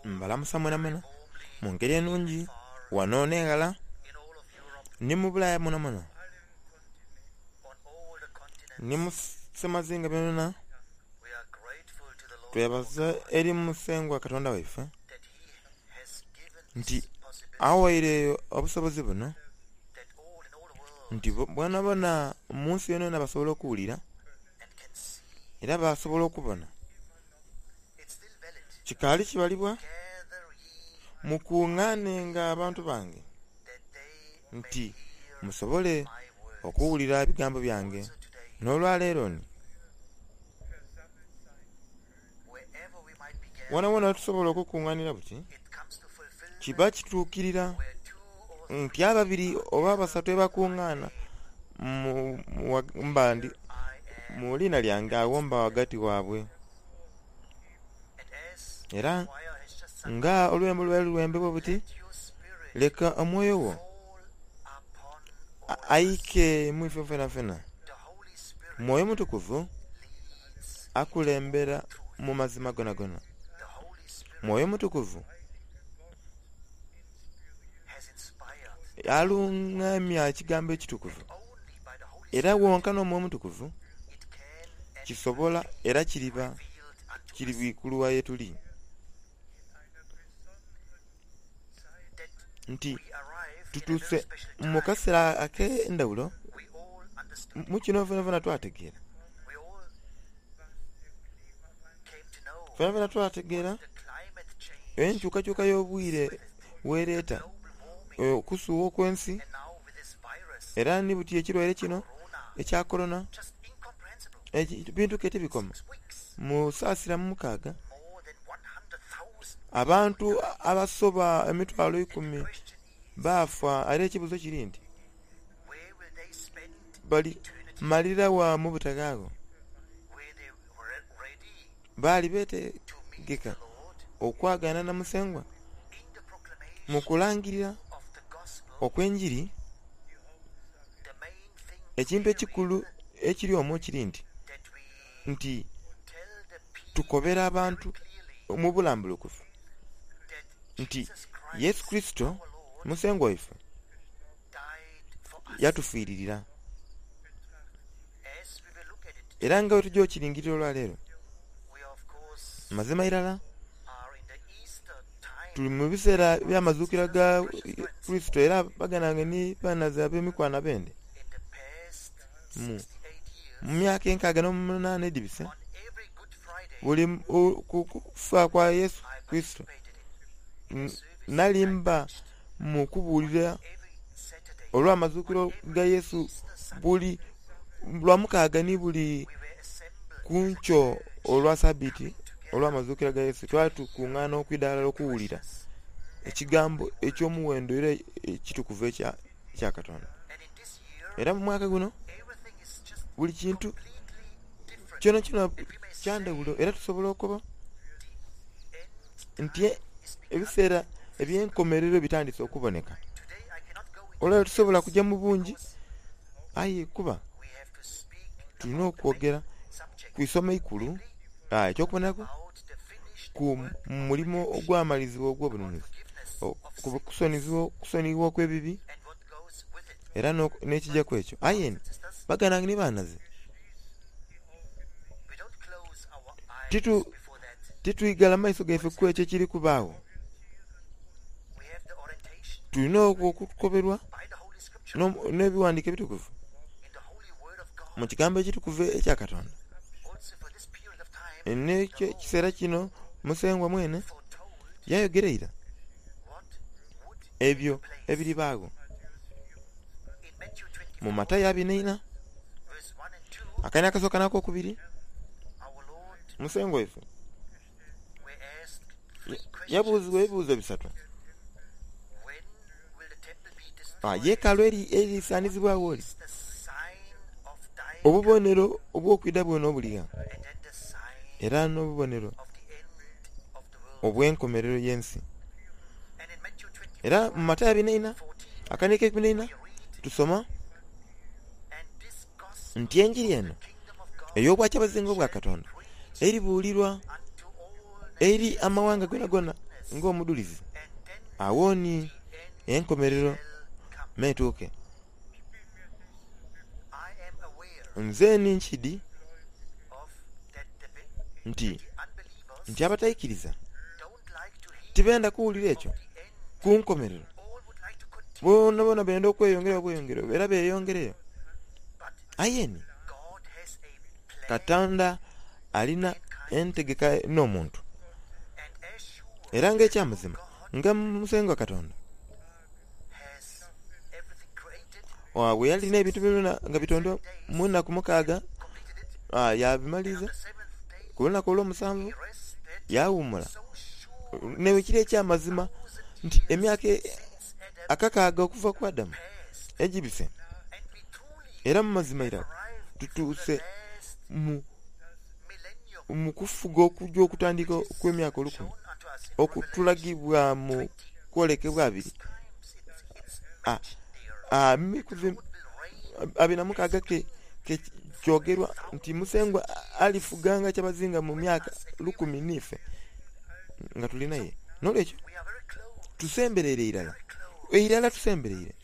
Mbalamusa mwenamwena mu ngeri enungi ghano n'eghala ni mu Bulaaya mwonamwona ni mu semazinga yonayona. Twebaza eri Musengwa Katonda waife nti aghaire obusobozi buno nti boonaboona mu nsi yonayona basobola okuwulira era baasobola okubona. Kikaali kibalibwa, Mukungaanenga abantu bange, nti musobole okuwulira ebigambo byange. N'olwaleero ni, woonawoona we tusobola okukungaanira buti, kiba kituukirira nti ababiri oba abasatu abakungaana mu liina lyange, agho mba ghagati waabwe. Era nga olwembo lwali lwembebwa buti, Leka omwoyo wo aike mu ife fenafena. Mwoyo Mutukuvu akulembera mu mazima gonagona. Mwoyo Mutukuvu alungamya ekigambo ekitukuvu. Era wonka n'Omwoyo Omutukuvu kisobola era kiriba kiri bwikulwa ye tuli. Nti tutuuse mu kaseera ak'endhawulo, mu kino fenafena twategeera. Fenafena twategeera enkyukakyuka y'obwire bw'ereeta okusuugha okw'ensi era ni buti ekirwaire kino ekya Korona ebintu ke tibikoma. Mu saasira mu mukaaga, abantu abasoba emitwalo eikumi baafa era ekibuuzo kiri nti bali malira wa mu butaghaagho? Baali beetegeka okwagaana na Musengwa mu kulangirira okw'enjiri. Ekintu ekikulu ekiri omwo kiri nti, nti tukobera abantu mu bulambulukufu nti Yesu Kurisito Musengwa waife yatufiiririra. Era nga bwe tuja okilingirira olwaleero, mazima irala tuli mu biseera by'amazuukira ga Kurisito era baganda bange ni banhaze ab'emikwano abende, mu myaka enkaaga n'omunaana edhibise, buli ku kufa kwa Yesu Kurisito, nali mba mu kubuulira olw'amazuukiro ga Yesu buli Lwamukaaga ni buli ku nkyo olwa Sabiiti olw'amazuukira ga Yesu, twali tukungaana okwidha ghalala okuwulira Ekigambo eky'omuwendo era ekitukuvu ekya Katonda. Era mu mwaka guno buli kintu kyonakyona kya ndhawulo era tusobola okoba nti ebiseera eby'enkomerero bitandise okuboneka. Olwaleero tisobola kuja mu bungi aye kuba tulina okwogera ku isomo eikulu, eky'okubonaku ku mulimo ogwamalizibwa ogw'obununuzi, ku kusoniyibwa okw'ebibi era n'ekija ku ekyo. Aye ni baganda bange ni banhaze, titwigala maiso gaife ku ekyo ekiri kubaagho. Tulina okukoberwa n'Ebighandiiko Ebitukuvu mu Kigambo Ekitukuvu ekya Katonda. N'ekiseera kino Musengwa mwene yayogera ira ebyo ebiribaagho. Mu Matayo abiri n'eina, akaini akasooka n'akokubiri, Musengwa waife yabuuzibwa ebibuuzo bisatu. Yeekaalu erisaanizibwagho li? Obubonero obw'okwidha bwona obuli gha? Era n'obubonero obw'enkomerero y'ensi. Era mu Matayo abiri n'eina akaniiko eikumi n'eina tusoma nti enjiri eno ey'Obwakyabazinga obwa Katonda eribuulirwa eri amawanga gonagona. ng'omudhulizi. Agho ni enkomerero m'etuuke. Nze ni nkidi nti nti abataikiriza tibenda kuwulira ekyo ku nkomerero. Boonaboona benda okweyongerayo bweyongereyo era beeyongereyo. Aye ni Katonda alina entegeka n'omuntu. Era ng'eky'amazima, nga Musengwa Katonda bwe yali n'ebintu byonabyona nga bitondwa mu nnaku mukaaga, yaabimaliriza, ku lunaku olwomusanvu yaawuumula. N'ekiri eky'amazima nti emyaka akakaaga okuva ku Adamu egibise, era mu mazima irala tutuuse mu mu kufuga okuja okutandika okw'emyaka olukumi okutulagibwa mu kwolekebwa abiri 26 ke kyogerwa nti Musengwa alifuga nga kyabazinga mu myaka lukumi n'ife nga tuli naye. N'olwekyo tusembereire irala, irala tusembereire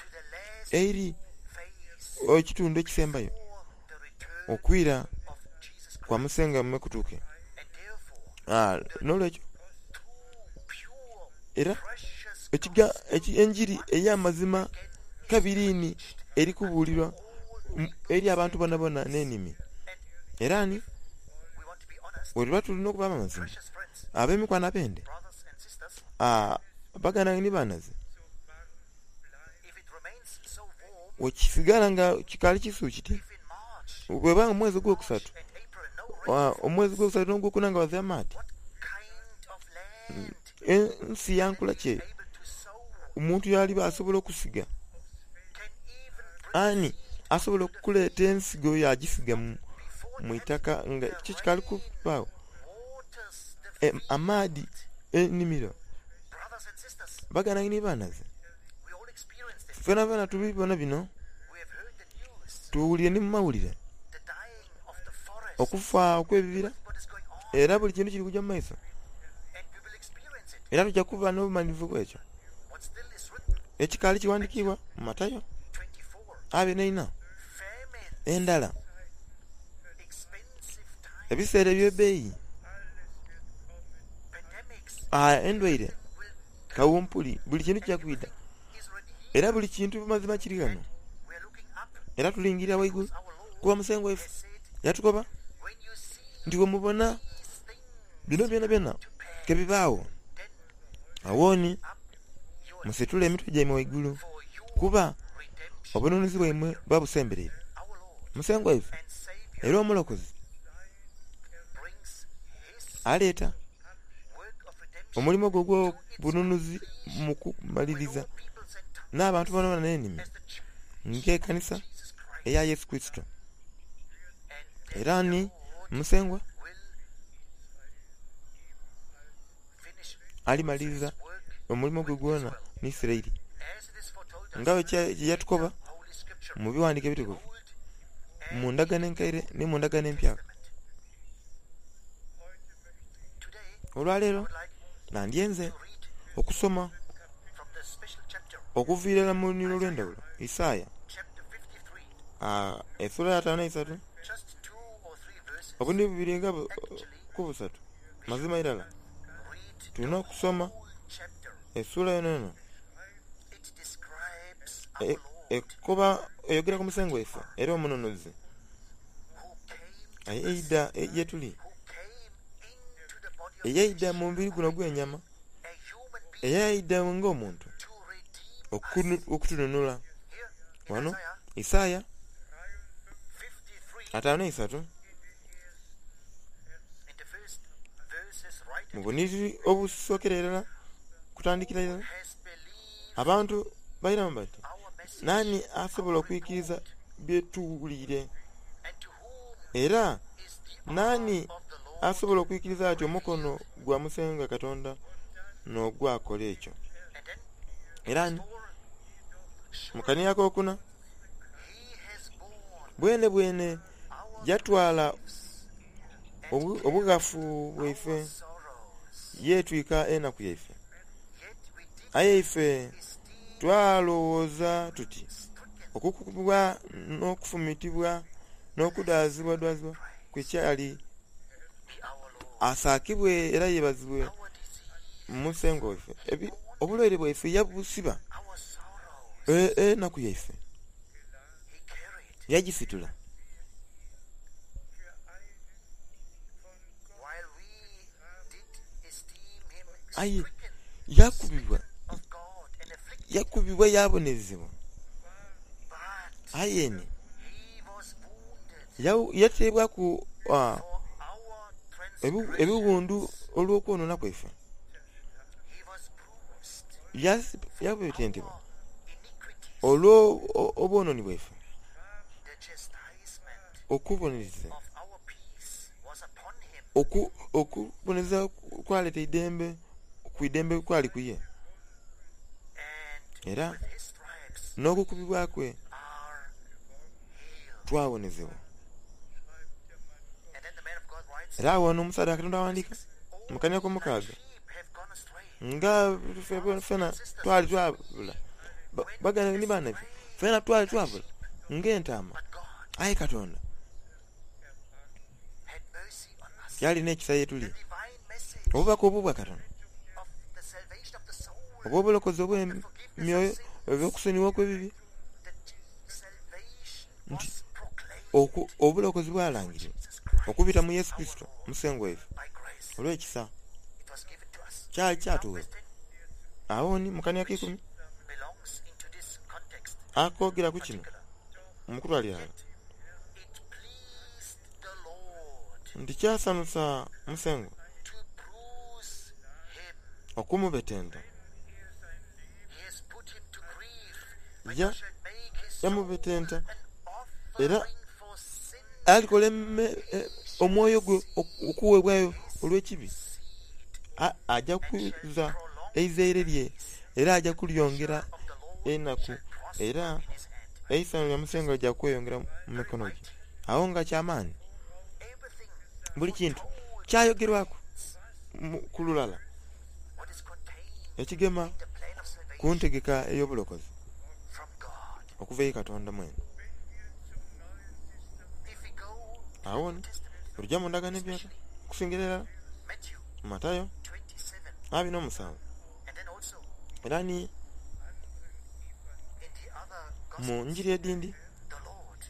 eri ekitundu ekisembayo okwira kwa Musengwa me kutuuke. N'olwekyo era enjiri ey'amazima kabiri ni eri kubuulirwa eri abantu bonabona n'enimi. Era ni bwetuba tuli n'okuba ab'amazima, ab'emikwano abende, baganda bange ni banhaze, bwekisigala nga kikaali kisu kiti, bweba nga omwezi ogwokusatu, omwezi ogwokusatu n'ogwokuna nga ghazira maadhi, ensi ya nkula ki eyo omuntu y'aliba asobola okusiga? Ani asobola okuleeta ensigo yaagisiga mu itaka nga kyo kikaali kubaagho? Amaadhi, enhimiro. Baganda ni banhaze, fenafena tubibona bino, tuwulire ni mu mawulire okufa okw'ebibira era buli kintu kiri kuja mu maiso era tuja kuba n'obumalirivu bw'ekyo ekikaali kighandikiibwa mu Matayo 24. Endhala, ebiseera eby'ebbeeyi, endwaire, kawumpuli, buli kintu kija kwidha. Era buli kintu mu mazima kiri ghano. Era tulingirira ghaigulu, kuba Musengwa waife yatukoba nti bwemubona bino byonabyona ke bibaagho, agho ni musitule emitwe gyaimwe ghaigulu, kuba obununuzi bwaimwe buba busembereire. Musengwa waife era Omulokozi aleeta omulimo gwe ogw'obununuzi mu kumaliriza n'abantu boonaboona n'enimi ng'ekanisa eya Yesu Kurisito. Era ni Musengwa alimaliriza omulimo gwe gwona ni Isiraeli nga bwe yatukoba mu bighandiiko ebitukuvu mu Ndagaano Enkaire ni mu Ndagaano Empyaka. Olwaleero nandyenze okusoma okuva irala mu lunhiliri olw'endhaghulo, Isaaya esula ya 53 obunhiliri bubiri nga ku busatu. Mazima irala tulina okusoma esula yonayona ekoba eyogera ku Musengwa waife era Omununuzi. Eyaidha ye tuli, eyaidha mu mubiri guno ogw'enyama, eyaidha ng'omuntu okutununula. Ghano Isaaya 53 mu bunhiriri obusookera irala kutandikira irala, abantu bairamu bati, Naani asobola okwikiriza bye tuwuliire? Era naani asobola okwikiriza ati omukono gwa Musengwa Katonda n'ogwakola ekyo? Era ni mu kanhiriri akokuna, bwenebwene yatwala obughafu bwaife, yeetwika enaku yaife. Aye ife twalowooza tuti okukubwa n'okufumitibwa n'okudaazibwadaazibwa kwe kyali. Asaakibwe era yebazibwe Musengwa waife. Obulwaire bwaife yabusiba, enaku yaife yagisitula. Aye yakubibwa, yakubibwa yaabonerezebwa. Aye ni yateebwaku ebiwundu olw'okwonoona kwaife. Yabetentebwa olw'obwonooni bwaife. Okubonereza okubonereza kwaleeta eidembe, ku idembe kwali ku ye. Era n'okukubibwa kwe twawonezebwa. Era agho n'omusaadha wa Katonda aghandiika mu kanhwa ak'omukaaga nga fena twali twabula, baganda ni baana fena twali twabula ng'entaama, aye Katonda yali n'ekisa ye tuli. Obubaka obwo bwa Katonda obw'obulokozi obw'emyoyo, obw'okusonyiwa okw'ebibi, nti obulokozi bwalangirirwa okubita mu Yesu Kurisito Musengwa waife olw'ekisa. Kyali kyatugheebwa. Agho ni mu kanhwa ak'eikumi akoogera ku kino mu kutwalira ghalala nti kyasanhusa Musengwa okumubetenta. Yamubetenta era alikola omwoyo gwe okuweebwayo olw'ekibi. Aja kuza eizaire lye era aja kulyongera enaku, era eisanhu lya Musengwa lija kweyongera mu mikono gye. Agho nga kya maani. Buli kintu kyayogerwaku ku lulala ekigema ku ntegeka ey'obulokozi okuva eri Katonda mwene. Agho ni bwe tuja mu Ndagaano Empyaka, okusingira irala mu Matayo 27 era ni mu Njiri edhindi,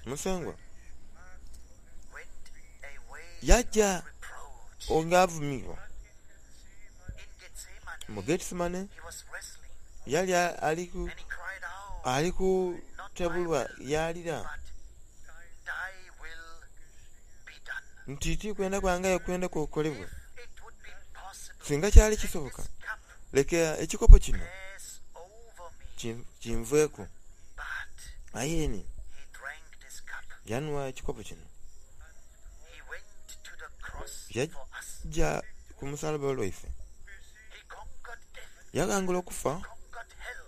Musengwa yaja nga avumibwa. Mu Gethsemane yali ali kutabulwa yaalira nti, Ti kwenda kwange aye okwenda kwo kukolebwe. Singa kyali kisoboka, leka ekikopo kino kinveeku. Aye ni yanhwa ekikopo kino. Yaja ku musalaba olwaife. Yaghangula okufa,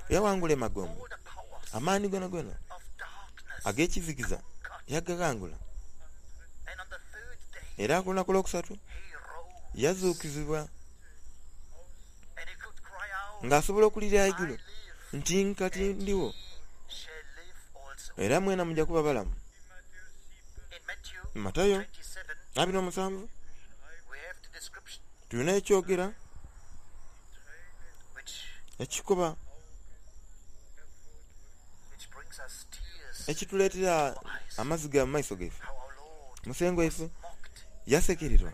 yaghangula emagombe, amaani gonagona ag'ekizikiza yagaghangula. Era ku lunaku olwokusatu yazuukizibwa ng'asobola okulira ghaigulu nti, Nkati ndigho, era mwena muja kuba balamu. Matayo 27 tulina ekyogera ekikoba ekituleetera amaziga mu maiso gaife. Musengwa waife yasekererwa.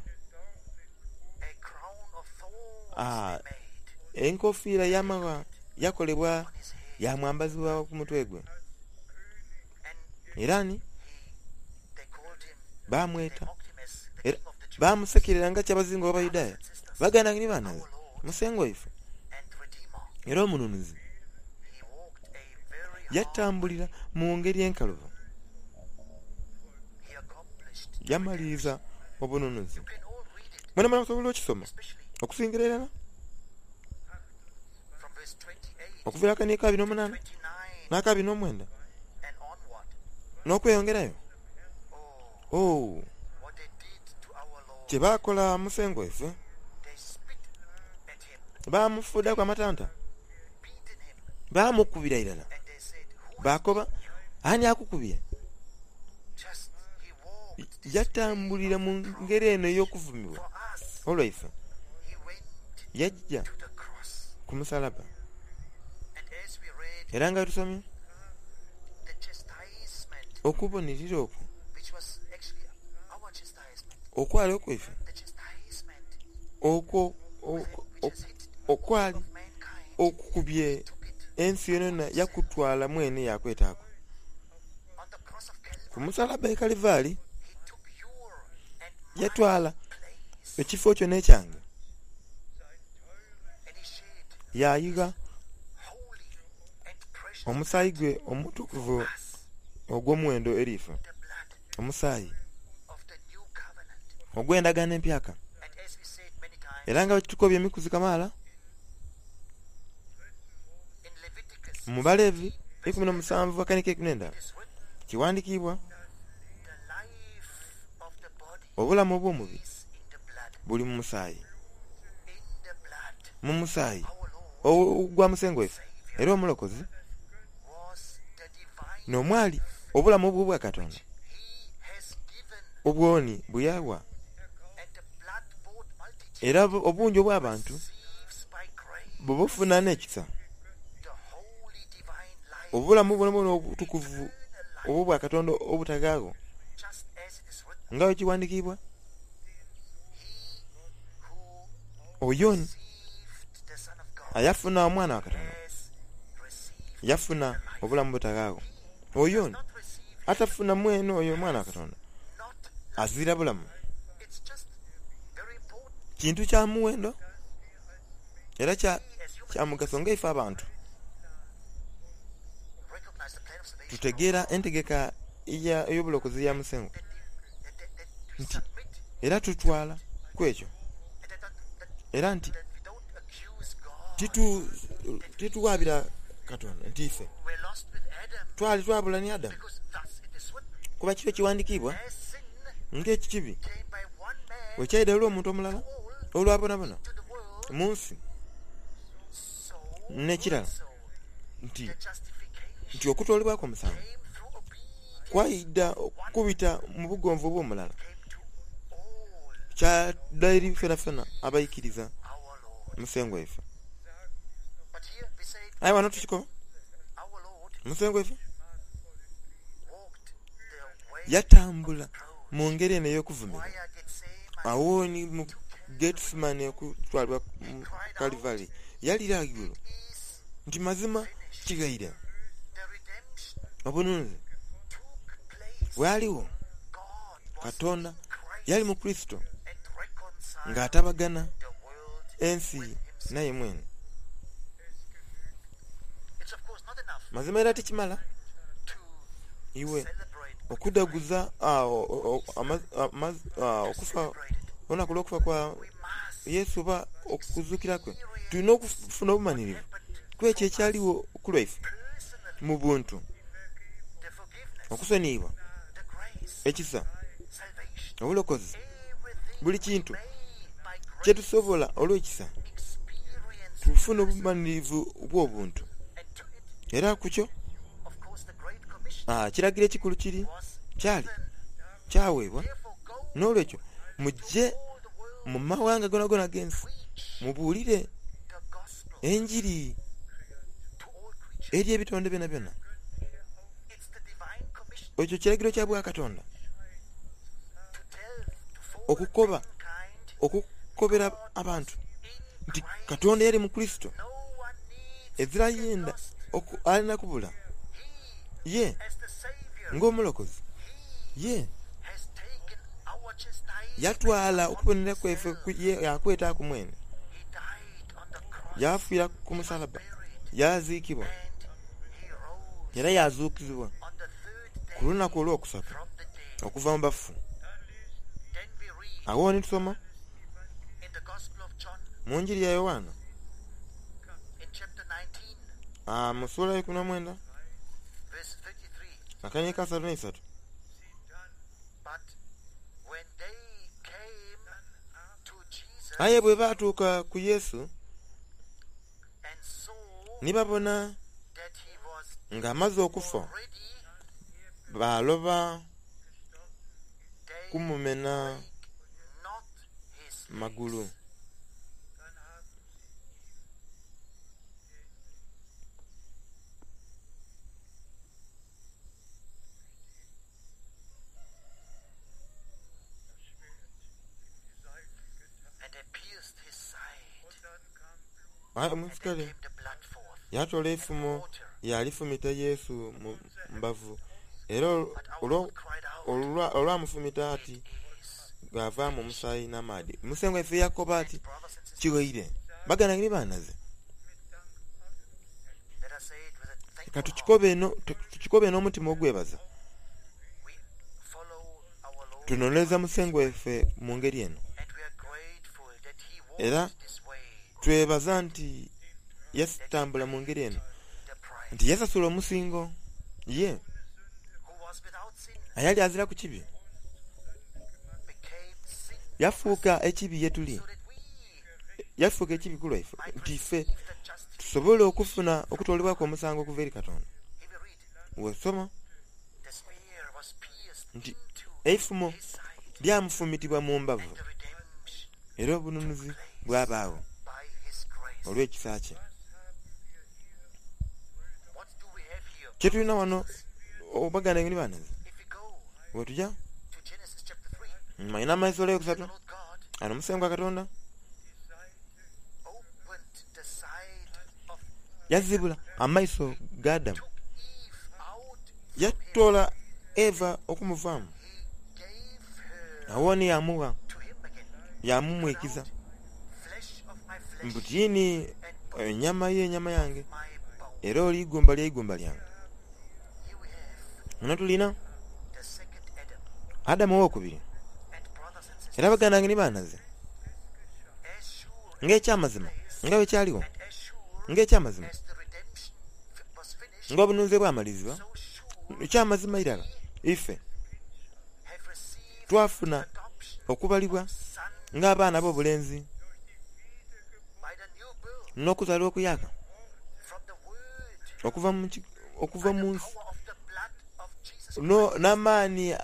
Enkofiira y'amagha yakolebwa yaamwambazibwa ku mutwe gwe. Era ni baamweta era baamusekerera nga kyabazinga w'Abayudaaya. Baganda bange ni baana be, Musengwa waife era Omununuzi yatambulira mu ngeri enkalubo, yamaliriza obununuzi. Mwenamwena musobola okukisoma okusingira irala okuviira akaniiko abiri n'omunaana n'akabiri n'omwenda n'okweyongerayo. Oh, kye baakola Musengwa waife! Baamufuudhaku amatanta. Baamukubira irala baakoba, Ani akukubye? Yatambulira mu ngeri eno ey'okuvumibwa olwaife, yaja ku musalaba. Era nga bwe tusomye, okubonirira okwo okwali okwaife, okwo okwali okukubye ensi yonayona yakutwala mwene yaakwetaaku. Ku musalaba e Kalivaali, yatwala ekifo kyo n'ekyange, yaayigha omusaayi gwe omutukuvu ogw'omuwendo eri ife, omusaayi ogw'endagaano empyaka. Era nga bwe tukobye emikuzi kamaala, mu Balevi 17 akanika 11 kiwandikiibwa, Obulamu obw'omubiri buli mu musaayi, mu musaayi ogwa Musengwa waife era Omulokozi, n'omwali obulamu obw'Obwakatonda obwoni bwe yagha. Era obungi obw'abantu bwebufuna n'ekisa, obulamu bwonabwona obutukuvu obw'Obwakatonda obutaghaagho, nga bwe kiwandikiibwa, Oyo ayafuna Omwana wa Katonda yafuna obulamu obutaghaagho. Oyo atafuna mwene oyo Omwana wa Katonda azira bulamu. Kintu kya muwendo era kya mugaso nga ife abantu tutegeera entegeka ey'obulokozi eya Musengwa nti era tutwala ku ekyo era nti tituwaabira Katonda nti ife twali twabula ni Adamu kuba kiri ekiwandikiibwa ng'ekibi bwe kyaidha olw'omuntu omulala olwa bonabona mu nsi. N'ekirala nti nti okutoolebwaku omusango kwaidha okubita mu bugonvu obw'omulala, kyadha eri fenafena abaikiriza Musengwa waife. Aye ghano tukikoba, Musengwa waife yatambula mu ngeri eno ey'okuvumirwa. Agho ni mu Gethsemane okutwalibwa mu Kalivari, yalira ghaigulu nti, Mazima kighaire! Obununuzi bwaligho. Katonda yali mu Kurisito ng'atabagana ensi naye mwene. Mazima era tikimala iwe okudhaguza okufa olunaku olw'okufa kwa Yesu oba okuzuukira kwe. Tulina okufuna obumanhirivu ku ekyo ekyaligho ku lwaife mu buntu, okusoniyibwa, ekisa, obulokozi, buli kintu kye tusobola olw'ekisa tufune obumanhirivu bw'obuntu. Era ku kyo, ekiragiro ekikulu kiri, kyali, kyaweebwa, N'olwekyo muje mu mawanga goonagoona ag'ensi mubuulire enjiri eri ebitonde byonabyona. Ekyo kiragiro kya Bwakatonda okukoba, okukobera abantu nti Katonda yali mu Kurisito, ezira yenda alina kubula. Ye ng'Omulokozi, ye yatwala okubonera kwaife yaakwetaaku mwene. Yaafiira ku musalaba, yaaziikibwa, era yaazuukizibwa ku lunaku olwokusatu okuva mu bafu. Agho ni tusoma mu Njiri ya Yoanna mu suula eyeikumi n'omwenda akaniiko akasatu n'eisatu. Aye bwe baatuuka ku Yesu ni babona. Ng'amaze okufa, baaloba kumumena magulu. Aye omuisikale yaatoola eifumo yaalifumita Yesu mu mbavu, era olwamufumita ati ghaavaamu omusaayi n'amaadhi. Musengwa waife yaakoba ati, Kighaire. Baganda bange ni banhaze, ka tukikobe n'omutima ogwebaza. Tunonereza Musengwa waife mu ngeri eno, era twebaza nti yatambula mu ngeri eno, nti yasasula omusingo ye ayali aziraku kibi, yafuuka ekibi ye tuli, yafuuka ekibi ku lwaife, nti ife tusobole okufuna okutoolebwaku omusango okuva eri Katonda. Bw'osoma nti eifumo lyamufumitibwa mu mbavu era obununuzi bwabaagho olw'ekisa kye. Kye tulina wano baganda bange ni banhaze, bwetuja mu Inama esula eyokusatu, ghano Musengwa Katonda yazibula amaiso ga Adamu, yatoola Eva okumuvaamu, agho ni yaamugha, yaamumwikiza mbu tiini enyama ye nyama yange, era oli igumba lya igumba lyange. Ghano tulina Adamu owokubiri. Era baganda bange ni banhaze, ng'eky'amazima nga bwe kyaligho, ng'eky'amazima ng'obununuzi bwe bwamalizibwa, eky'amazima irala ife twafuna okubalibwa ng'abaana ab'obulenzi n'okuzaalibwa okuyaaka okuva mu okuva mu nsi n'amaani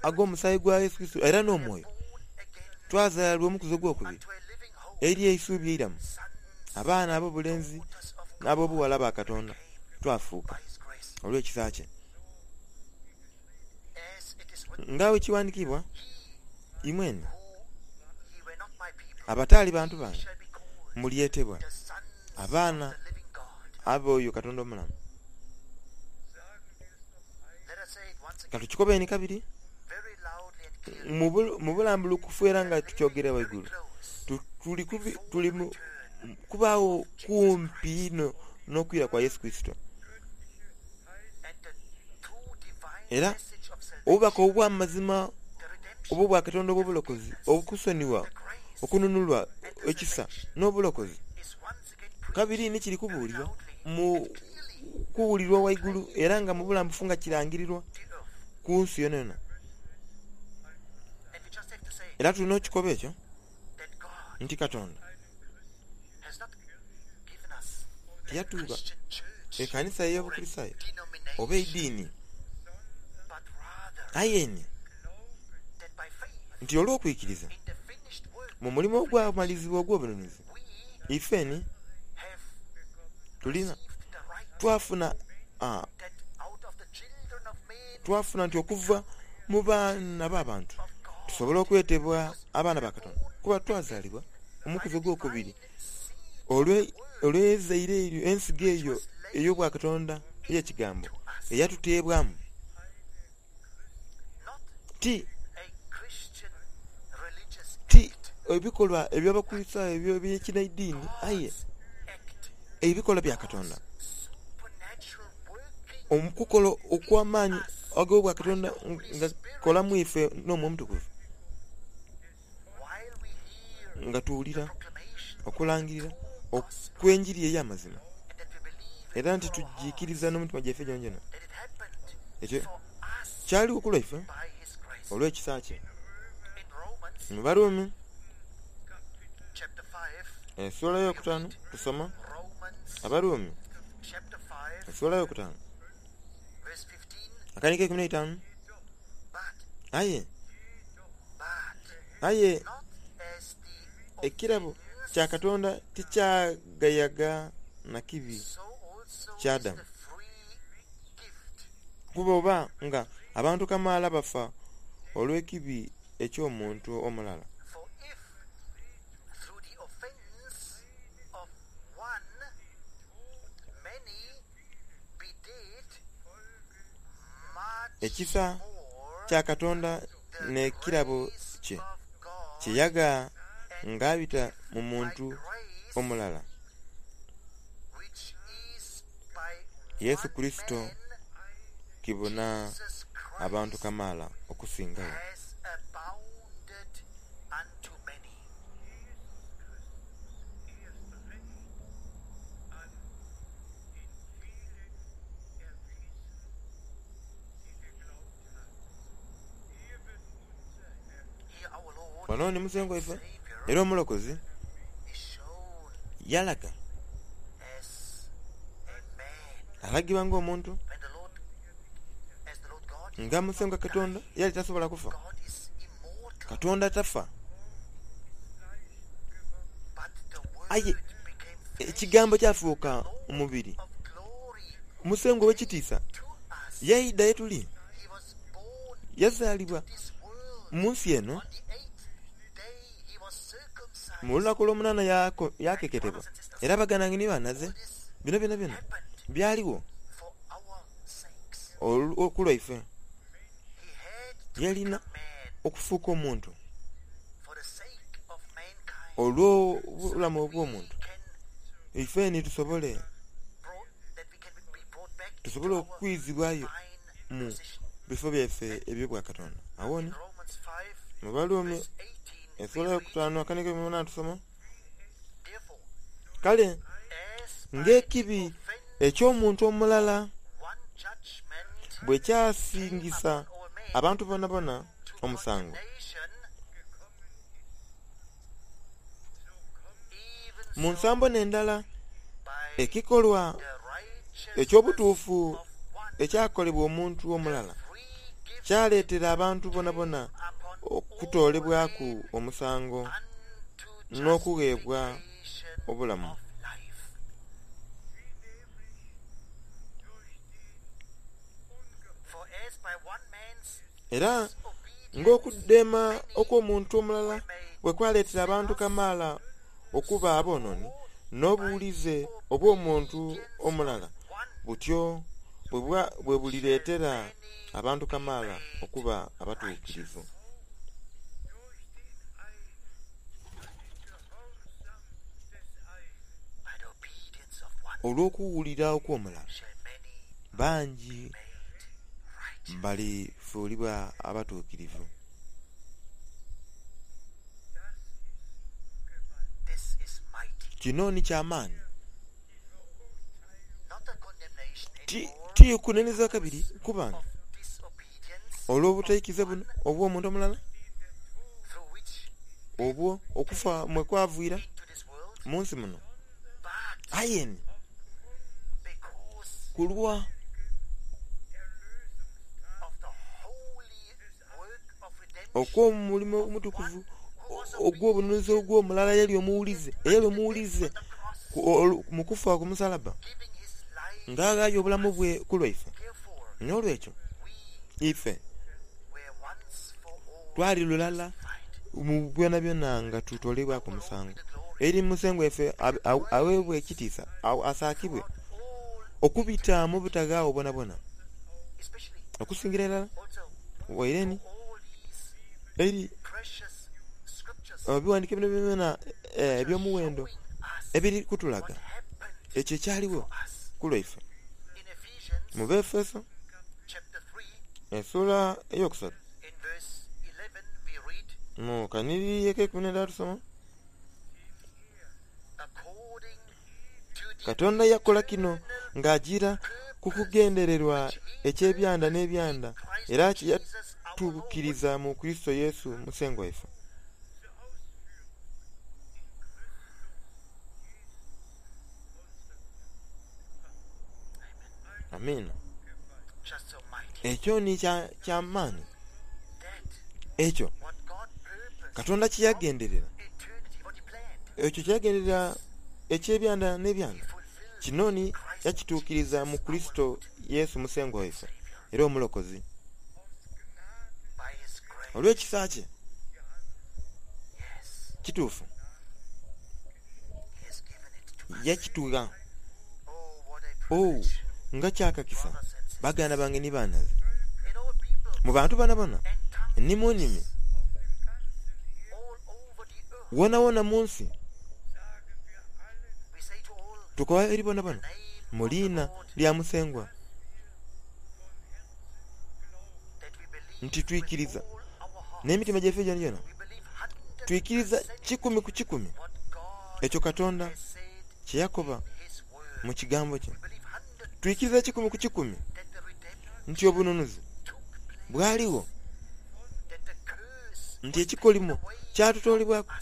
ag'omusaayi gwa Yesu Kurisito era n'omwoyo, twazaalibwa omukuzi ogwokubiri eri eisuubi eiramu, abaana ab'obulenzi n'ab'obughala ba Katonda twafuuka olw'ekisa kye. Nga bwe kiwandikiibwa, Imwene abataali bantu bange mulyetebwa abaana ab'oyo Katonda omulamu. Ka tukikobeni kabiri mu bulambulukufu era nga tukyogera ghaigulu, tuli kubaagho kumpi inho n'okwira kwa Yesu Kurisito. Era obubaka obw'amazima obw'Obwakatonda obw'obulokozi, okusonigha, okununulwa, ekisa, n'obulokozi, kabiri ni kiri kubuulirwa mu kuwulirwa ghaigulu era nga mu bulambufu nga kirangirirwa ku nsi yonayona. Era tulina okikoba ekyo nti Katonda tiyatugha ekanisa ey'Obukurisitaayo oba eidiini, aye ni nti olw'okwikiriza mu mulimo ogwamalizibwa ogw'obununuzi, ife ni tulina twafuna twafuna nti okuva mu baana b'abantu tusobola okwetebwa abaana ba Katonda kuba twazaalibwa omukuzi ogwokubiri olw'eizaire eryo, ensigo eyo ey'Obwakatonda ey'Ekigambo eyatuteebwamu. Ti, ti ebikolwa eby'Abakristaayo eby'ekinaidiini, aye ebikolwa bya Katonda, okukola okw'amaani ag'Obwakatonda nga kukola mu ife n'Omwoyo Omutukuvu. Nga tuwulira okulangirira okw'enjiri ey'amazima, era nti tugiikiriza n'omutima gyaife gyonagyona, ekyo kyaligho ku lwaife olw'ekisa kye. Mu Barumi esuula eyokutaanu tusoma Abarumi esuula eyokutaanu. Akani k'eikumi n'eitaanu. Aye, aye ekirabo kya Katonda tikyagayaga na kibi kya Adamu. Kuba oba nga abantu kamaala bafa olw'ekibi eky'omuntu omulala, Ekisa kya Katonda n'ekirabo kye, kye yagha ng'abita mu muntu omulala, Yesu Kurisito, kibuna abantu kamaala okusingagho. Wano ni Musengwa waife era Omulokozi yalaga, alagibwa ng'omuntu, nga Musengwa Katonda yali tasobola kufa. Katonda tafa. Aye Ekigambo kyafuuka omubiri. Musengwa ow'ekitiisa yaidha ye tuli. Yazaalibwa mu nsi eno, mu lunaku olwomunaana yaakeketebwa. Era baganda bange ni banhaze, bino byonabyona byaligho ku lwaife. Yalina okufuuka omuntu olw'obulamu obw'omuntu, ife ni tusobole tusobole okwizibwayo mu bifo byaife eby'Obwakatonda. Agho ni, mu Baruumi esula eyokutaanu akanigo munaana tusoma, Kale ng'ekibi eky'omuntu omulala bwe kyasingisa abantu boonaboona omusango, Mu nsambo n'endala, ekikolwa eky'obutuufu ekyakolebwa omuntu omulala kyaleetera abantu boonaboona okutoolebwaku omusango n'okugheebwa obulamu. Era ng'okudheema okw'omuntu omulala bwe kwaleetera abantu kamaala okuba aboonooni, n'obuwulize obw'omuntu omulala butyo bwe bulireetera abantu kamaala okuba abatuukirivu. Olw'okuwulira okw'omulala, bangi balifuulibwa abatuukirivu. Kino ni kya maani. Ti kunenezebwa kabiri kubanga olw'obutaikiza buno obw'omuntu omulala, obwo okufa mwe kwaviira mu nsi muno, aye ni ku lwa okw'omulimo omutukuvu ogw'obununuzi ogw'omulala eyali omuwulize, eyali omuwulize mu kufa ku musalabba, nga aghaayo obulamu bwe ku lwaife. N'olwekyo ife twali lulala mu byonabyona nga tutoleibwaku omusango eri Musengwa waife agheebwe ekitiisa asaakibwe okubita mu butaghaagho bwonabwona, okusingira irala waire ni eri ebighandiiko byonabyona eby'omuwendo ebiri kutulaga ekyo ekyaligho ku lwaife. Mu Baefeso esula eyokusatu mu kanhiriri ak'eikumi n'endala tusoma, Katonda yakola kino ng'ajiira ku kugendererwa eky'ebyanda n'ebyanda era kye yatuukiriza mu Kurisito Yesu Musengwa waife. Amiina. Ekyo ni kya maani. Ekyo Katonda kye yagenderera, ekyo kye yagenderera eky'ebyanda n'ebyanda, kino ni yakituukiriza mu Kurisito Yesu Musengwa waife era Omulokozi. Olw'ekisa kye. Kituufu. Yakitugha. Oh, nga kyakakisa, baganda bange ni banhaze, mu bantu bonabona ni mu nnimi wonawona mu nsi, tukoba eri bonabona mu liina lya Musengwa nti twikiriza n'emitima gyaife gyonagyona, twikiriza kikumi ku kikumi ekyo Katonda kye yakoba mu Kigambo kye. Twikiriza kikumi ku kikumi nti obununuzi bwaligho, nti ekikolimo kyatutoolebwaku,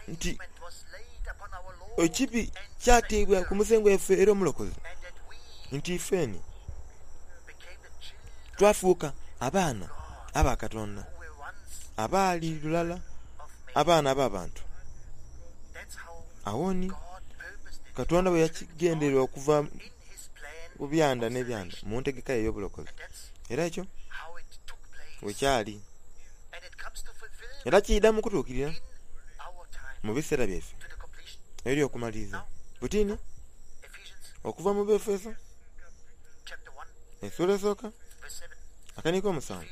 nti ekibi kyateebwa ku Musengwa waife era Omulokozi, nti ifeni twafuuka abaana aba Katonda abaali lulala abaana ab'abantu. Agho ni Katonda bwe yakigenderera okuva ku byanda n'ebyanda mu ntegeka ye ey'obulokozi. Era ekyo bwe kyali. Era kiidha mu kutuukirira mu biseera byaife eby'okumaliriza. Buti ni, okuva mu Baefeso esula esooka akaniiko omusanvu,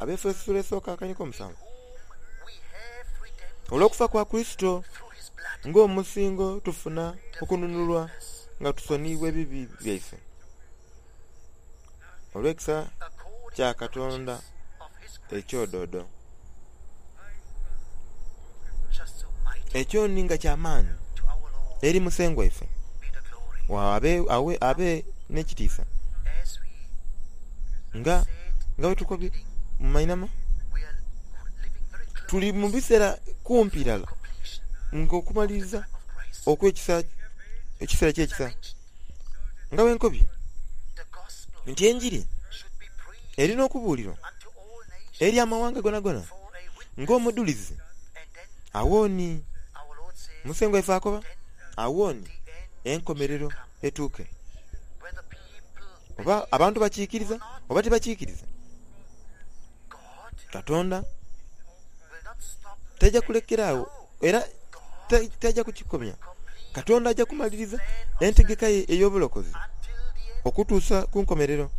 Abaefeso esula esooka akaniiko omusanvu, Olw'okufa kwa Kurisito ng'omusingo tufuna okununulwa nga tusoniibwa ebibi byaife, olw'ekisa kya Katonda eky'odoodo. Ekyo ni nga kya maani eri Musengwa waife, abe n'ekitiisa nga bwe tukobye mu mainhama. Tuli mu biseera kumpi irala ng'okumaliriza okw'ekisa, ekiseera ky'ekisa. Nga bwe nkobye nti enjiri eri n'okubuulirwa eri amawanga gonagona ng'omudhulizi, agho ni Musengwa waife akoba, agho ni enkomerero etuuke. Oba abantu bakiikiriza oba tibakiikiriza, Katonda taja kulekera agho era taja kukikomya. Katonda aja kumaliriza entegeka ye ey'obulokozi okutuusa ku nkomerero.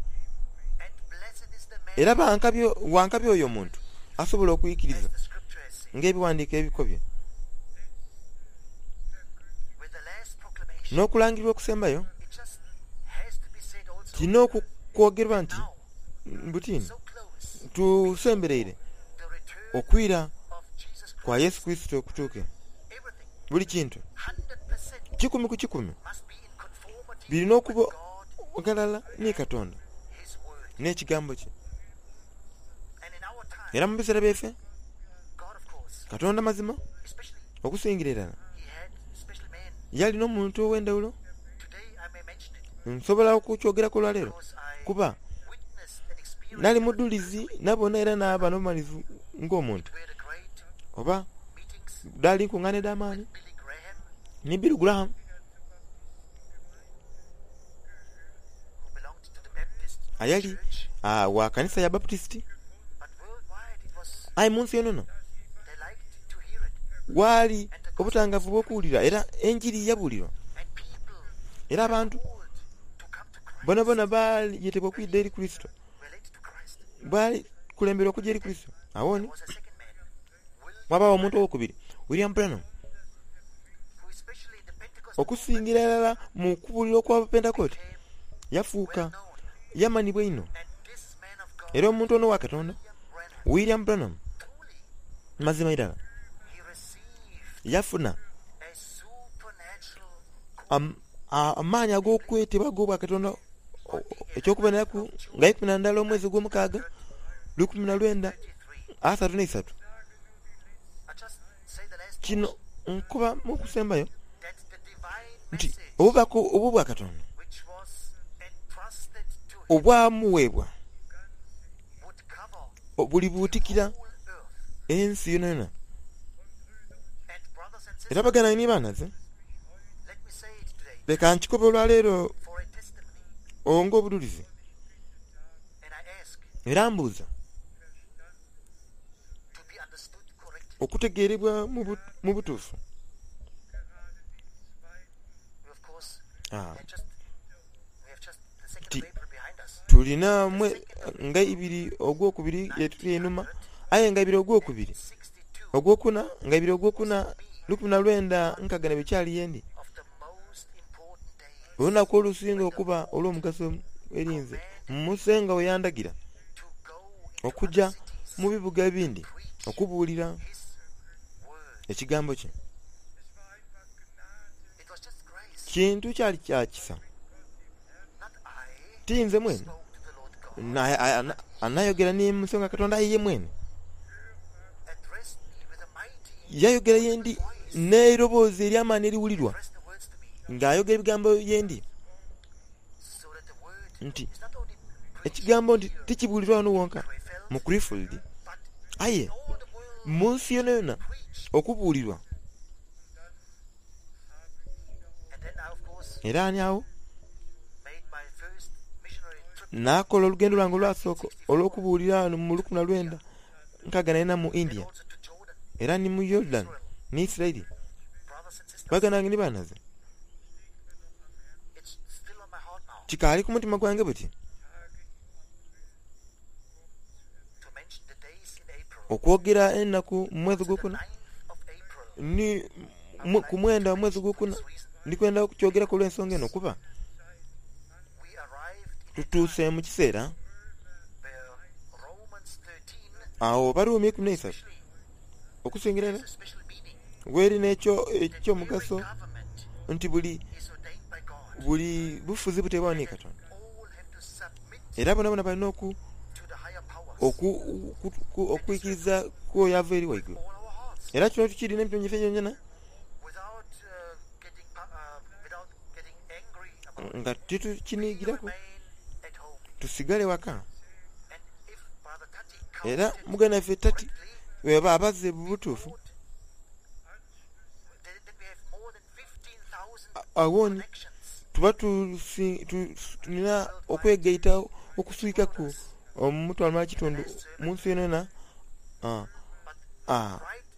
Era wa nkabi oyo omuntu asobola okwikiriza ng'Ebighandiiko ebikobye. N'okulangirirwa okusembayo, kirina okwogerwa nti buti tusembereire okwira kwa Yesu Kurisito kutuuke. Buli kintu kikumi ku kikumi birina okuba ghalala ni Katonda n'Ekigambo kye. Era mu biseera byaife, Katonda mazima okusingira irala yali n'omuntu ow'endhawulo. Nsobola okukyogeraku olwaleero kuba nali mudhulizi nabona era naaba n'obumalirivu ng'omuntu. Oba dhaali nkungaana edh'amaani ni Billy Graham. Ayali wa kanisa ya Baputisiti. Aye mu nsi yonayona waali obutangaavu obw'okuwulira era enjiri yabuulirwa. Era abantu boonaboona baayetebwa okwidha eri Kurisito. Baali kulemberwa okuja eri Kurisito. Agho ni ghabaagho omuntu owokubiri, William Branham, okusingira irala mu kubuulira okw'Abapentekote, yafuuka yamanhibwa inho. Era omuntu ono owa Katonda, William Branham, mazima irala yafuna amaani ag'okwetebwa ag'obwakatonda eky'okuboneraku nga ikumi na ndala omwezi ogwomukaaga lukumi na lwenda asatu n'eisatu. Kino nkoba mu kusembayo nti obubaka obw'obwakatonda. Obwamuweebwa bulibuutikira ensi yonayona. Era baganda ni banhaze, leka nkikobe olwaleero ng'obudhulizi, era mbuuza okutegeerebwa mu butuufu. Nti tulina nga ibiri ogwokubiri yetuli einhuma, aye nga ibiri ogwokubiri, ogwokuna, nga ibiri ogwokuna lukumi na lwenda nkaaga na ibiri kyali yendi. Olunaku olusinga okuba olw'omugaso eri nze, Musengwa bwe yandagira okuja mu bibuga ebindi okubuulira Ekigambo kye. Kintu kyali kya kisa. Ti nze mwene anayogera ni Musengwa Katonda, aye iye mwene yayogera ye ndi n'eiroboozi ery'amaani eriwulirwa, ng'ayogera ebigambo ye ndi nti, Ekigambo nti tikibuulirwa ghano wonka mu Krefeld, aye mu nsi yonayona okubuulirwa. Era ani agho naakola olugendo lwange olwasooka olw'okubuulira ghano mu lukumi na lwenda nkaaga na ina mu India, era ni mu Yordan ni Isiraeli. Baganda bange ni banhaze, kikaali ku mutima gwange buti okwogera enaku mu mwezi ogwokuna ni ku mwenda omwezi ogwokuna. Ndi kwenda okukyogeraku olw'ensonga eno kuba tutuuse mu kiseera agho Abaruumi eikumi n'eisatu okusingira irala gheri n'eky'omugaso nti buli buli bufuzi buteebwagho ni Katonda era boonaboona balina oku okwikiriza ku oyo ava eri ghaigulu. Era kino tukiri n'emitima gyaife gyonagyona nga titukinigiraku, tusigale waka. Era muganda waife Tati bweyaba abaze mu butuufu, agho ni tuba tulina okwegaita okuswikaku omutwalo mulala kitundu mu nsi yonayona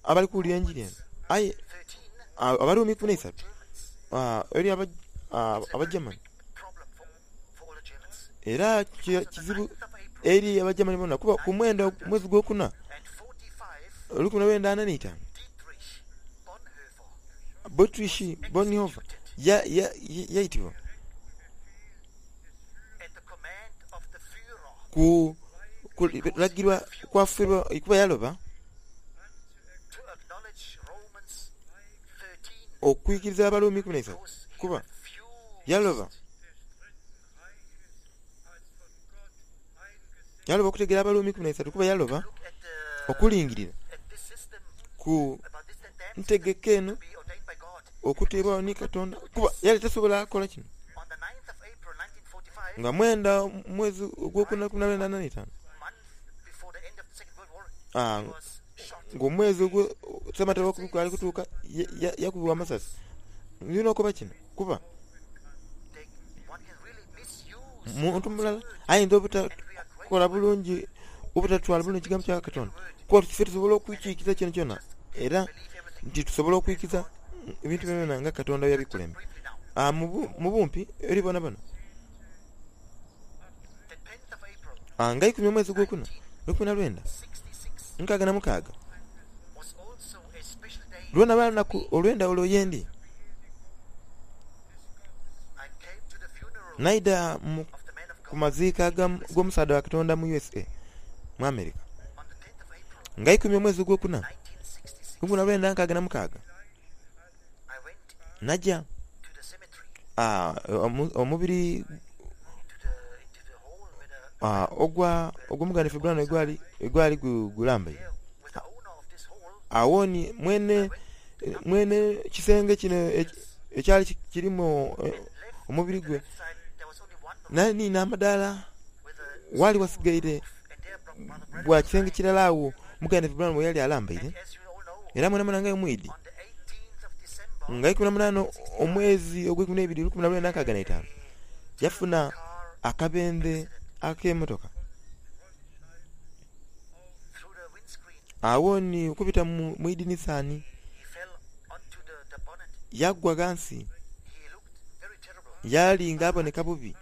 abali kuwulira enjiri eno. Aye Abaruumi ikumi n'eisatu eri Abagermany. Era kizibu eri Abagermany boona kuba ku mwenda omwezi gwokuna olukumi lwenda ana n'eitaanu, Dietrich Bonhoeffer yaitibwa ku kulagirwa kwa Führer kuba yaloba okwikiriza Abaruumi ikumi n'eisatu kuba yaloba yaloba okutegeera Abaruumi 13 kuba yaloba okulingirira ku ntegeka eno okuteebwagho ni Katonda kuba yali tasobola kola kino. Nga mwenda omwezi ogwokuna lukumi na lwenda ana n'eitaanu, ng'omwezi ogwo Ssematalo owokubiri gwali kutuuka, yakubibwa amasasi. Ndina okoba kino kuba muntu mulala ayinza obutakola bulungi, obutatwala bulungi kigambo kya Katonda. Kuba ife tusobola okwikiikiza kyonakyona era nti tusobola okwikiza ebintu byonabyona nga Katonda bwe yabikulemba. Mu bumpi eri bonabona. Nga eikumi omwezi ogwokuna, lukumi na lwenda nkaaga na mukaaga, lwona lwali lunaku olw'endhawulo ye ndi. Naidha ku maziika g'omusaadha wa Katonda mu USA, mu America, nga eikumi omwezi ogwokuna, 1966. Naja omubiri ogw'omuganda waife Branham gwali gulambaire. Agho ni mwene kisenge kino ekyali kirimu omubiri gwe nali nina amadaala. Waali wasigaire bwa kisenge kirala agho muganda waife Branham we yali alambaire. Era mwenamwena nga mwidhi, nga 18 omwezi ogweikumi n'eibiri 1965, yafuna akabendhe ak'emotoka. Agho ni okubita mu idinisa ni yagwa ghansi, yali nga aboneka bubi.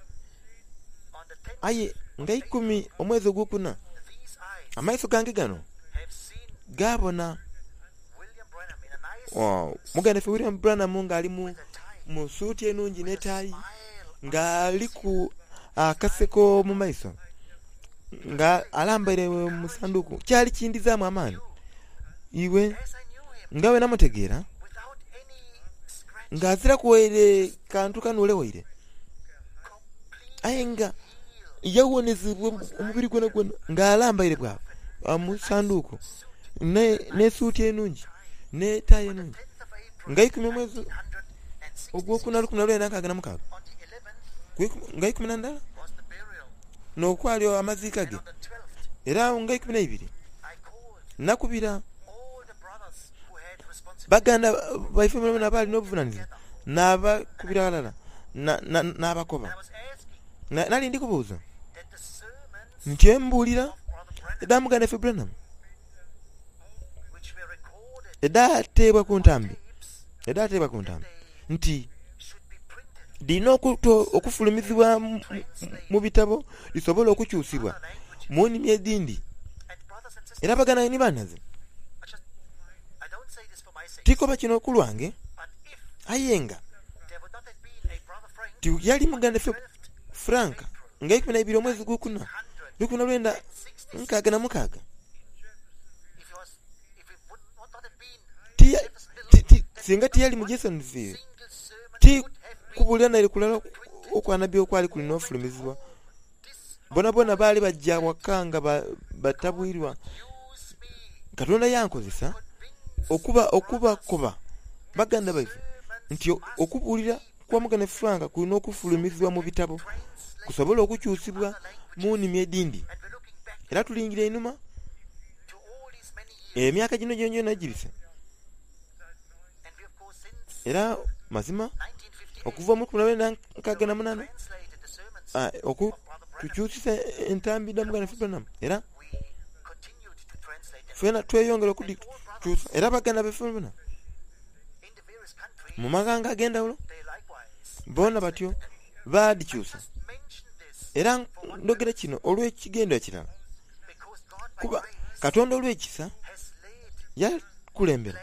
Aye nga eikumi omwezi ogwokuna, amaiso gange gano gaabona muganda waife William Branham nga ali mu suuti enungi n'etaayi, nga aliku akaseko mu maiso, nga alambaire mu sanduuku. Kyali kindhizaamu amaani. Iwe, nga bwe namutegeera, nga aziraku waire kantu kanuule waire, aye nga yawonezebwa omubiri gwonagwona nga alambaire bwa mu sanduuku n'esuuti enungi n'etaayi enungi. Nga eikumi omwezi ogwokuna 1966, nga 11 n'okwali amaziika ge, era nga 12 nakubira baganda baife boonaboona abaali n'obuvunanizibwa naabakubira ghalala naabakoba. Nali ndi kubuuza nti embuulira edha muganda waife Branham edhaateebwa ku ntambi, edhaateebwa ku ntambi nti dhirina okufulumizibwa mu bitabo dhisobole okukyusibwa mu nnimi edhindi. Era baganda bange ni banhaze, tikoba kino ku lwange, aye nga tiyali muganda waife Frank nga 12 omwezi gwokuna, 1966, singa tiyali mu Jeffersonville, ti kubuulira naire kulala okwa nabbi okwali kuli n'ofulumizibwa. Boonaboona baali baja waka nga batabwirwa. Katonda yankozesa okuba okubakoba baganda baife nti okubuulira kwa Muganda Frank kulina okufulumizibwa mu bitabo kusobole okukyusibwa mu nnimi edhindi. Era tulingira einhuma emyaka gino gyonagyona egibise. Era mazima okuva mu 1968 tukyusisa entambi dha Muganda waife Branham era twena tweyongera okudhikyusa era baganda baife bona mu maghanga ag'endhaghulo boona batyo baadhikyusa. Era ndhogera kino olw'ekigendererwa kirala, kuba Katonda olw'ekisa yakulembera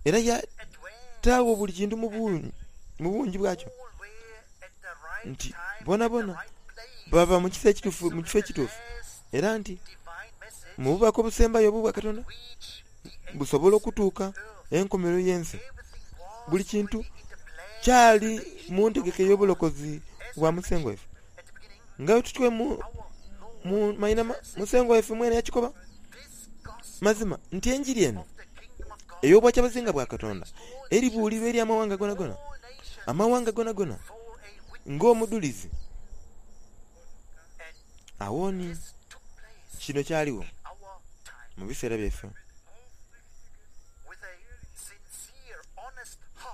era yataagho buli kintu mu bungi bwakyo, nti boonaboona baba mu kifo ekituufu, era nti mu bubaka obusembayo obw'obwa Katonda busobola okutuuka enkomerero y'ensi. Buli kintu kyali mu ntegeka ey'obulokozi bwa Musengwa waife. Nga bwe tutyo mu mainhama, Musengwa waife mwene yakikoba mazima nti enjiri eno ey'Obwakyabazinga bwa Katonda eribuulirwa eri amawanga gonagona, amawanga gonagona ng'omudhulizi. Agho ni kino kyaligho mu biseera byaife.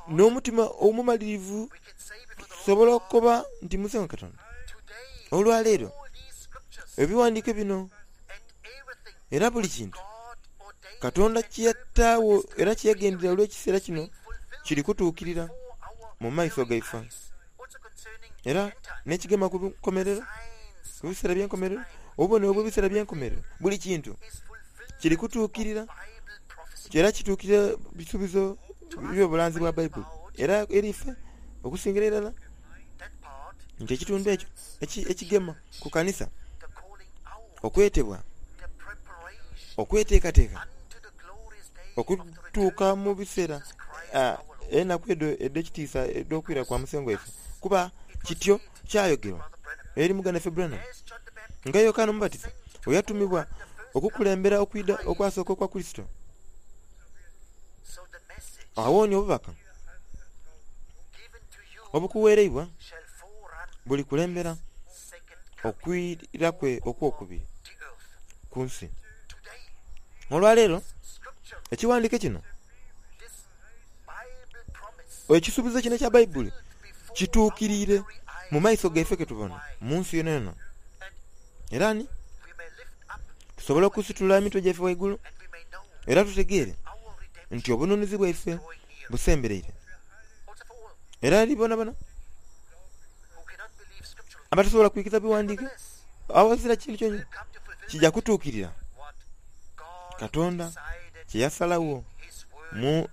N'omutima omumalirivu tusobola okukoba nti, Musengwa Katonda, olwaleero ebighandiiko bino era buli kintu Katonda kye yataagho era kye yagenderera olw'ekiseera kino kiri kutuukirira mu maiso gaife. Era n'ekigema ku nkomerero, ku biseera by'enkomerero, obubonero obw'ebiseera by'enkomerero, buli kintu kiri kutuukirira era kituukirira bisuubizo by'obulanzi bwa Baibuli. Era eri ife okusingira irala nti ekitundu ekyo ekigema ku kanisa, okwetebwa, okweteekateeka okutuuka mu biseera enaku edho edh'ekitiisa edh'okwira kwa Musengwa waife, kuba kityo kyayogerwa eri muganda waife Branham, nga Yokaana Omubatiza bwe yatumibwa okukulembera okwidha okwasooka okwa Kurisito. Agho ni obubaka obukuweereibwa bulikulembera. okwira kwe okw'okubiri ku nsi. Olwaleero, ekighandiiko kino, ekisuubizo kino ekya Baibuli kituukiriire mu maiso gaife ke tubona mu nsi yonayona. Era ni tusobola okusitula emitwe gyaife ghaigulu era tutegeere nti obununuzi bwaife busembereire. Era eri bonabona abatasobola kwikiriza bighandiike, aghazira kintu kyonakyona kija kutuukirira Katonda kye yasalagho mu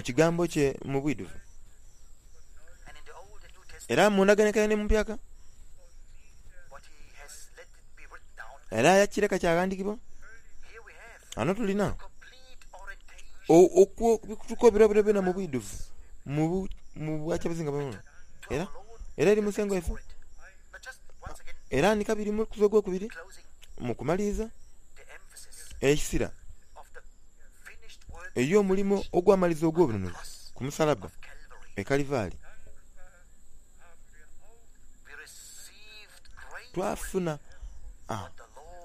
Kigambo kye mu bwidhuvu. Era mu Ndagaano Enkaire ni mu Mpyaka, era yakireka kyaghandiikibwa. Ghano tulina okutuka byonabyona mu bwidhuvu mu bwakyabazinga bwona. Era era eri Musengwa waife. Era ni kabiri mu kuza ogwokubiri mu kumaliriza eisira ery'omulimo ogwamaliza ogw'obununuzi ku musalabba e Kalivaali. Twafuna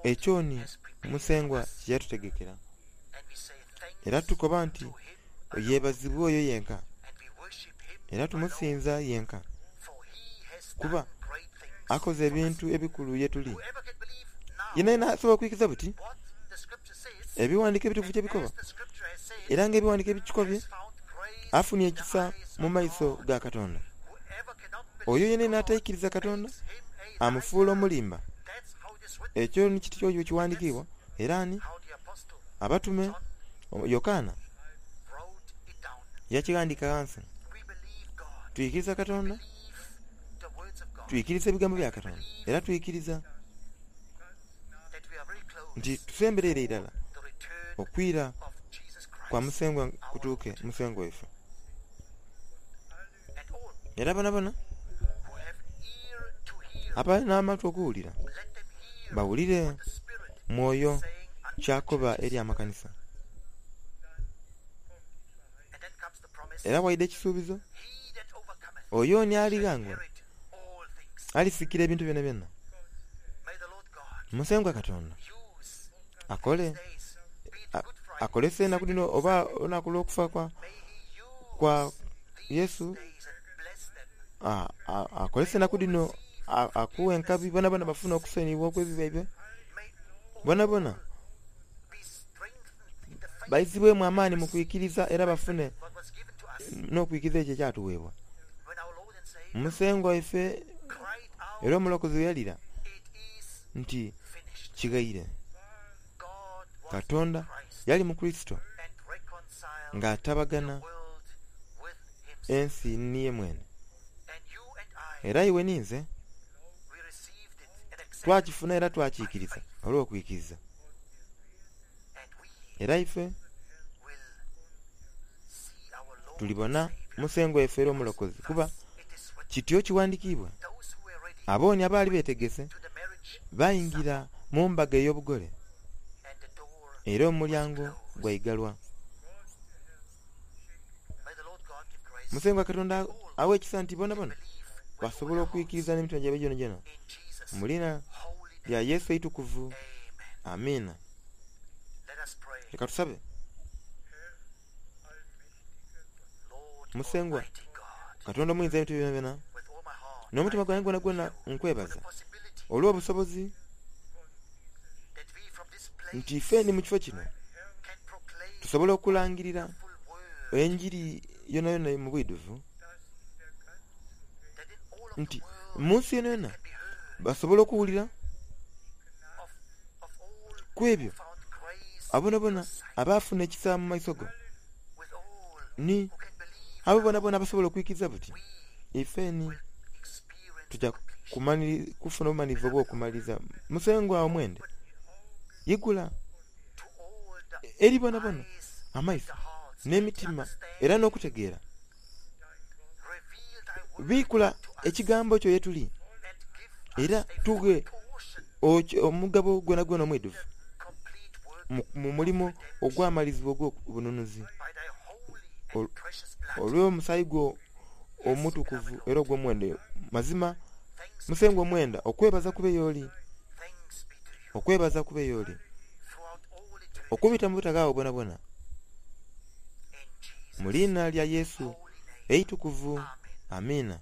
ekyoni Musengwa kye yatutegekera. Era tukoba nti, Yebazibwe oyo yenka, era tumusinza yenka, kuba akoze ebintu ebikulu ye tuli. Yenayena asobola okwikiriza buti Ebighandiiko ebitukuvu kye bikoba, era ng'Ebighandiiko ebikikobye, afunie ekisa mu maiso ga Katonda. Oyo yenayena ataikiriza Katonda amufuula omulimba. Ekyo ni kityo bwe kighandikiibwa. Era ani? Abatume, Yokaana yakighandiika ghansi. Twikiriza Katonda, twikiriza ebigambo bya Katonda, era twikiriza nti tusembereire irala okwira kwa Musengwa kutuuke, Musengwa waife. Era bonabona abali n'amatu okuwulira, bawulire Mwoyo ky'akoba eri amakanisa. Era waidha ekisuubizo, Oyo ni alighangula alisikira ebintu byonabyona. Musengwa Katonda akole akolese enaku dhino oba olunaku olw'okufa kwa Yesu akozese enaku dhino akuwe enkabi bonabona bafune okusoniyibwa okw'ebibi byaibwe. Bonabona baizibwemu amaani mu kwikiriza era bafune n'okwikiriza ekyo ekyatuweebwa. Musengwa waife era Omulokozi bwe yalira nti, Kighaire. Katonda yali mu Kurisito ng'atabagana ensi ni ye mwene. Era iwe ni nze twakifuna era twakiikiriza olw'okwikiriza. Era ife tulibona Musengwa waife era Omulokozi, kuba kityo kighandikiibwa, Abooni abaali beetegese baingira mu mbaga ey'obugole, era omulyango gwaigalwa. Musengwa Katonda aghe ekisa nti bonabona basobola okwikiriza n'emitima gyaibwe gyonagyona mu liina lya Yesu eitukuvu. Amiina. Leka tusabe. Musengwa Katonda Omuyinza w'ebintu byonabyona, n'omutima gwange gwonagwona nkwebaza olw'obusobozi nti ife ni mu kifo kino tusobola okulangirira enjiri yonayona mu bwidhuvu, nti mu nsi yonayona basobola okuwulira ku ebyo abo bonabona abaafuna ekisa mu maiso go, ni abo bonabona abasobola okwikiriza buti ife ni tuja kufuna obumalirivu obw'okumaliriza. Musengwa omwende, igula eri bonabona amaiso n'emitima era n'okutegeera. Biikula ekigambo kyo ye tuli, era tughe omugabo gwonagwona omwidhuvu mu mulimo ogwamalizibwa ogw'obununuzi olw'omusaayi gwo omutukuvu era ogw'omuwendo. Mazima. Musengwa omwenda, okwebaza kube y'oli, okwebaza kube y'oli, okubita mu butaghaagho bwonabwona, mu liina lya Yesu eitukuvu. Amiina.